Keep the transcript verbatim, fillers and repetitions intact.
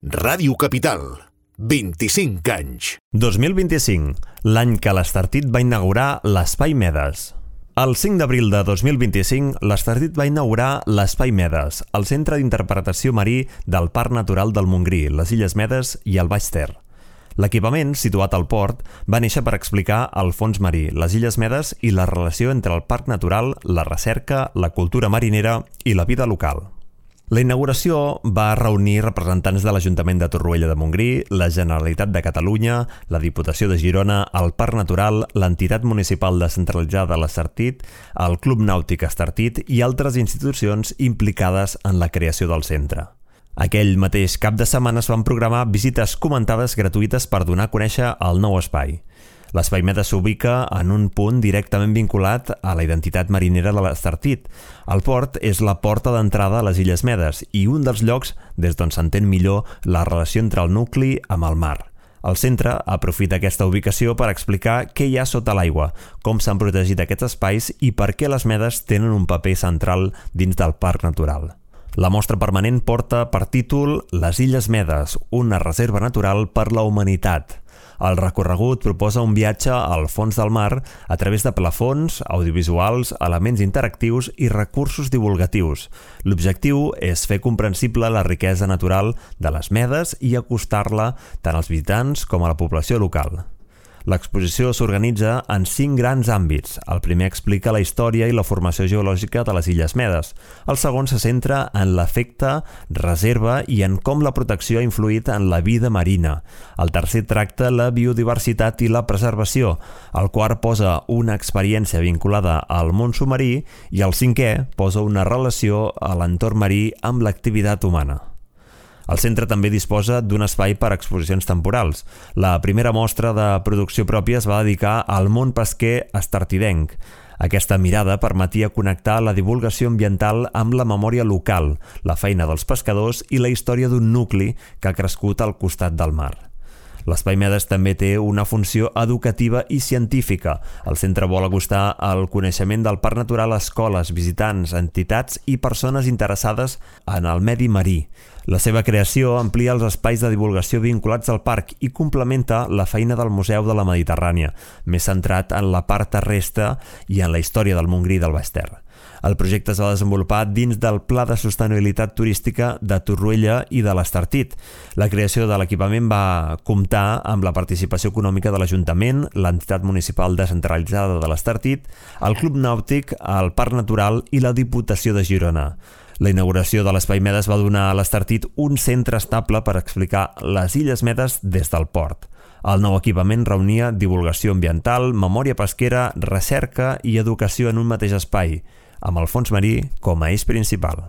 Ràdio Capital, vint-i-cinc anys. dos mil vint-i-cinc, l'any que l'Estartit va inaugurar l'Espai Medes. El cinc d'abril de dos mil vint-i-cinc, l'Estartit va inaugurar l'Espai Medes, el centre d'interpretació marí del Parc Natural del Montgrí, les Illes Medes i el Baix Ter. L'equipament, situat al port, va néixer per explicar el fons marí, les Illes Medes i la relació entre el parc natural, la recerca, la cultura marinera i la vida local. La inauguració va reunir representants de l'Ajuntament de Torroella de Montgrí, la Generalitat de Catalunya, la Diputació de Girona, el Parc Natural, l'entitat municipal descentralitzada l'Estartit, el Club Nàutic Estartit i altres institucions implicades en la creació del centre. Aquell mateix cap de setmana es van programar visites comentades gratuïtes per donar a conèixer el nou espai. L'Espai Medes s'ubica en un punt directament vinculat a la identitat marinera de l'Estartit. El port és la porta d'entrada a les Illes Medes i un dels llocs des d'on s'entén millor la relació entre el nucli amb el mar. El centre aprofita aquesta ubicació per explicar què hi ha sota l'aigua, com s'han protegit aquests espais i per què les medes tenen un paper central dins del parc natural. La mostra permanent porta per títol Les Illes Medes, una reserva natural per la humanitat. El recorregut proposa un viatge al fons del mar a través de plafons, audiovisuals, elements interactius i recursos divulgatius. L'objectiu és fer comprensible la riquesa natural de les medes i acostar-la tant als visitants com a la població local. L'exposició s'organitza en cinc grans àmbits. El primer explica la història i la formació geològica de les Illes Medes. El segon se centra en l'efecte reserva i en com la protecció ha influït en la vida marina. El tercer tracta la biodiversitat i la preservació. El quart posa una experiència vinculada al món submarí i el cinquè posa una relació a l'entorn marí amb l'activitat humana. El centre també disposa d'un espai per a exposicions temporals. La primera mostra de producció pròpia es va dedicar al món pesquer estartidenc. Aquesta mirada permetia connectar la divulgació ambiental amb la memòria local, la feina dels pescadors i la història d'un nucli que ha crescut al costat del mar. L'Espai Medes també té una funció educativa i científica. El centre vol acostar el coneixement del parc natural a escoles, visitants, entitats i persones interessades en el medi marí. La seva creació amplia els espais de divulgació vinculats al parc i complementa la feina del Museu de la Mediterrània, més centrat en la part terrestre i en la història del Montgrí i del Baix Ter. El projecte es va desenvolupar dins del Pla de Sostenibilitat Turística de Torroella i de l'Estartit. La creació de l'equipament va comptar amb la participació econòmica de l'Ajuntament, l'entitat municipal descentralitzada de l'Estartit, el Club Nàutic, el Parc Natural i la Diputació de Girona. La inauguració de l'Espai Medes va donar a l'Estartit un centre estable per explicar les Illes Medes des del port. El nou equipament reunia divulgació ambiental, memòria pesquera, recerca i educació en un mateix espai, amb el fons marí com a eix principal.